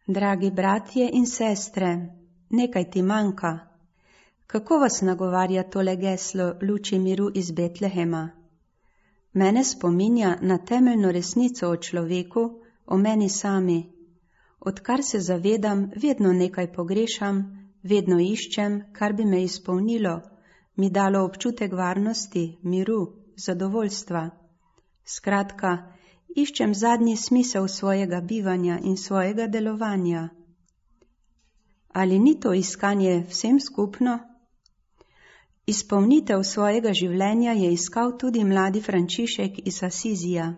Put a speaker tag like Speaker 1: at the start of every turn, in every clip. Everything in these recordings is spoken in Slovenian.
Speaker 1: Dragi bratje in sestre, nekaj ti manjka. Kako vas nagovarja tole geslo luči miru iz Betlehema? Mene spominja na temeljno resnico o človeku, o meni sami. Odkar se zavedam, vedno nekaj pogrešam, vedno iščem, kar bi me izpolnilo, mi dalo občutek varnosti, miru, zadovoljstva. Skratka, iščem zadnji smisel svojega bivanja in svojega delovanja. Ali ni to iskanje vsem skupno? Izpolnitev svojega življenja je iskal tudi mladi Frančišek iz Asizija.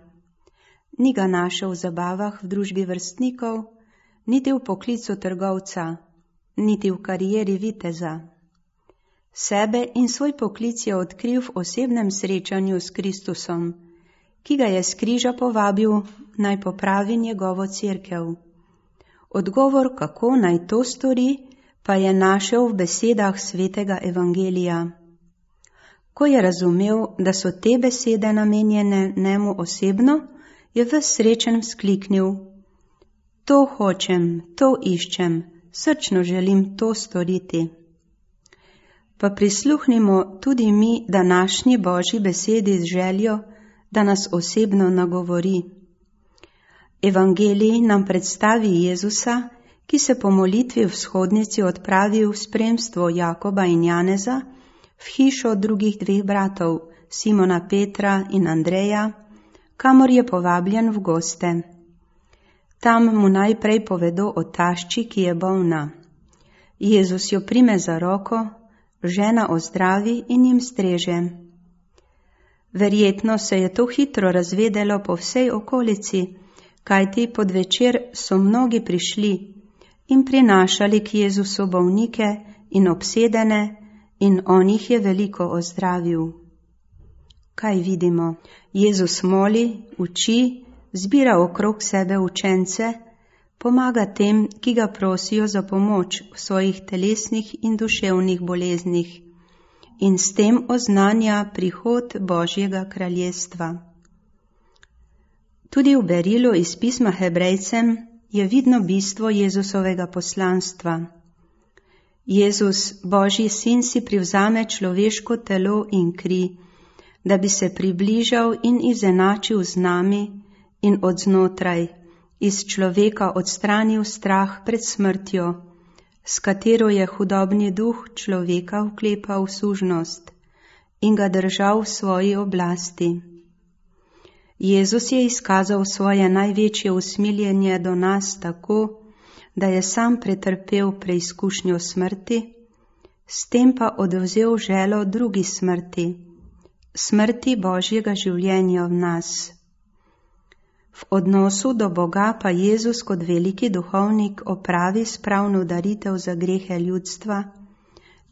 Speaker 1: Ni ga našel v zabavah v družbi vrstnikov, niti v poklicu trgovca, niti v karieri viteza. Sebe in svoj poklic je odkril v osebnem srečanju s Kristusom, ki ga je s križa povabil, naj popravi njegovo cerkev. Odgovor, kako naj to stori, pa je našel v besedah svetega evangelija. Ko je razumel, da so te besede namenjene njemu osebno, je ves srečen vzkliknil: To hočem, to iščem, srčno želim to storiti. Pa prisluhnimo tudi mi današnji Božji besedi z željo, da nas osebno nagovori. Evangelij nam predstavi Jezusa, ki se po molitvi v shodnici odpravi v spremstvo Jakoba in Janeza v hišo drugih dveh bratov, Simona Petra in Andreja, kamor je povabljen v goste. Tam mu najprej povedo o tašči, ki je bolna. Jezus jo prime za roko, žena ozdravi in jim streže. Verjetno se je to hitro razvedelo po vsej okolici, kajti pod večer so mnogi prišli in prinašali k Jezusu bolnike in obsedene, in on jih je veliko ozdravil. Kaj vidimo? Jezus moli, uči, zbira okrog sebe učence, pomaga tem, ki ga prosijo za pomoč v svojih telesnih in duševnih boleznih, in s tem oznanja prihod Božjega kraljestva. Tudi v berilu iz pisma Hebrejcem je vidno bistvo Jezusovega poslanstva. Jezus, Božji sin, si privzame človeško telo in kri, da bi se približal in izenačil z nami in od znotraj, iz človeka odstranil strah pred smrtjo, s katero je hudobni duh človeka vklepal v sužnost in ga držal v svoji oblasti. Jezus je izkazal svoje največje usmiljenje do nas tako, da je sam pretrpel preizkušnjo smrti, s tem pa odvzel želo drugi smrti, smrti Božjega življenja v nas. V odnosu do Boga pa Jezus kot veliki duhovnik opravi spravno daritev za grehe ljudstva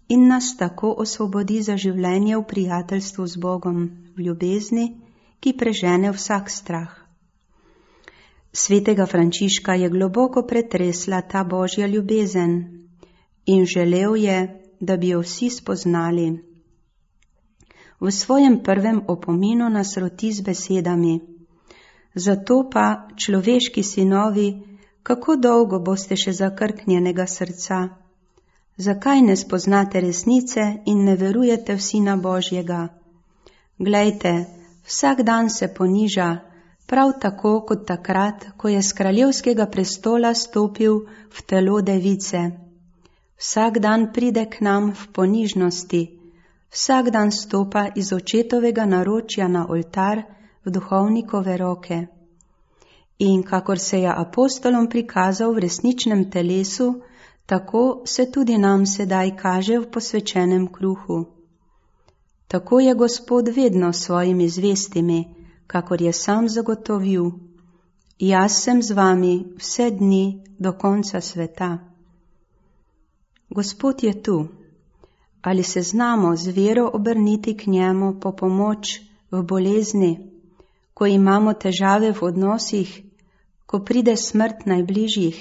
Speaker 1: in nas tako osvobodi za življenje v prijateljstvu z Bogom, v ljubezni, ki prežene vsak strah. Svetega Frančiška je globoko pretresla ta Božja ljubezen in želel je, da bi jo vsi spoznali. V svojem prvem opominu nas roti z besedami: Zato pa, človeški sinovi, kako dolgo boste še zakrknjenega srca? Zakaj ne spoznate resnice in ne verujete v Sina Božjega? Glejte, vsak dan se poniža, prav tako kot takrat, ko je s kraljevskega prestola stopil v telo device. Vsak dan pride k nam v ponižnosti, vsak dan stopa iz očetovega naročja na oltar v duhovnikove roke. In kakor se je apostolom prikazal v resničnem telesu, tako se tudi nam sedaj kaže v posvečenem kruhu. Tako je Gospod vedno s svojimi zvestimi, kakor je sam zagotovil: Jaz sem z vami vse dni do konca sveta. Gospod je tu. Ali se znamo z vero obrniti k njemu po pomoč v bolezni, ko imamo težave v odnosih, ko pride smrt najbližjih?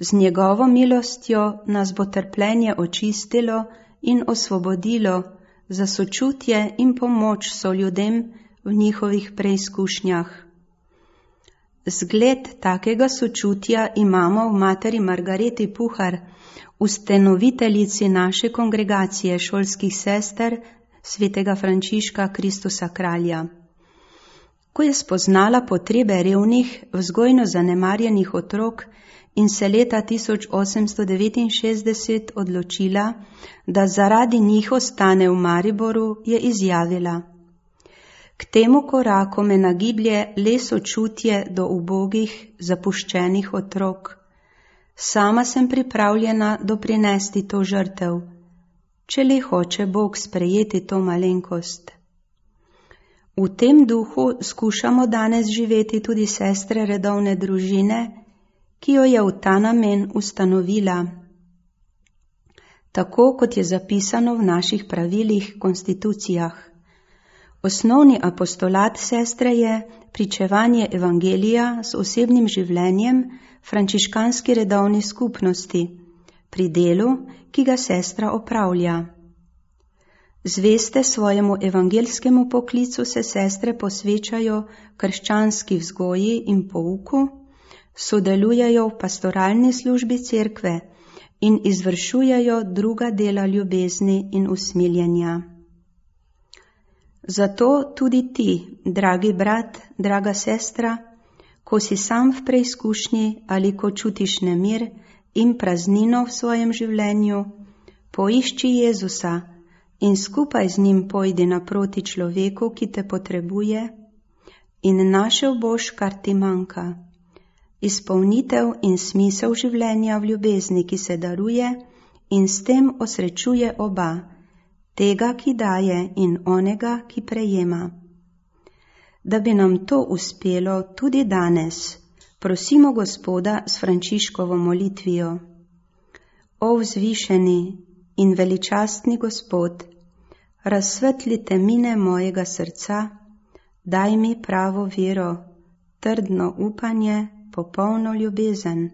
Speaker 1: Z njegovo milostjo nas bo trpljenje očistilo in osvobodilo za sočutje in pomoč soljudem v njihovih preizkušnjah. Zgled takega sočutja imamo v materi Margareti Puhar, ustanoviteljici naše kongregacije šolskih sester svetega Frančiška Kristusa kralja. Ko je spoznala potrebe revnih, vzgojno zanemarjenih otrok in se leta 1869 odločila, da zaradi njih ostane v Mariboru, je izjavila: K temu koraku me nagiblje le sočutje do ubogih, zapuščenih otrok. Sama sem pripravljena doprinesti to žrtev, če le hoče Bog sprejeti to malenkost. V tem duhu skušamo danes živeti tudi sestre redovne družine, ki jo je v ta namen ustanovila. Tako kot je zapisano v naših pravilih, konstitucijah. Osnovni apostolat sestre je pričevanje evangelija s osebnim življenjem frančiškanski redovni skupnosti, pri delu, ki ga sestra opravlja. Zveste svojemu evangelskemu poklicu se sestre posvečajo krščanski vzgoji in pouku, sodelujejo v pastoralni službi cerkve in izvršujejo druga dela ljubezni in usmiljenja. Zato tudi ti, dragi brat, draga sestra, ko si sam v preizkušnji ali ko čutiš nemir in praznino v svojem življenju, poišči Jezusa in skupaj z njim pojdi naproti človeku, ki te potrebuje, in našel boš, kar ti manjka. Izpolnitev in smisel življenja v ljubezni, ki se daruje in s tem osrečuje oba, tega, ki daje, in onega, ki prejema. Da bi nam to uspelo tudi danes, prosimo Gospoda s Frančiškovo molitvijo. O vzvišeni in veličastni Gospod, razsvetli temine mojega srca, daj mi pravo vero, trdno upanje, popolno ljubezen,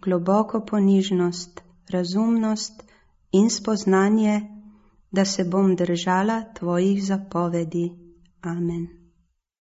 Speaker 1: globoko ponižnost, razumnost in spoznanje, da se bom držala tvojih zapovedi. Amen.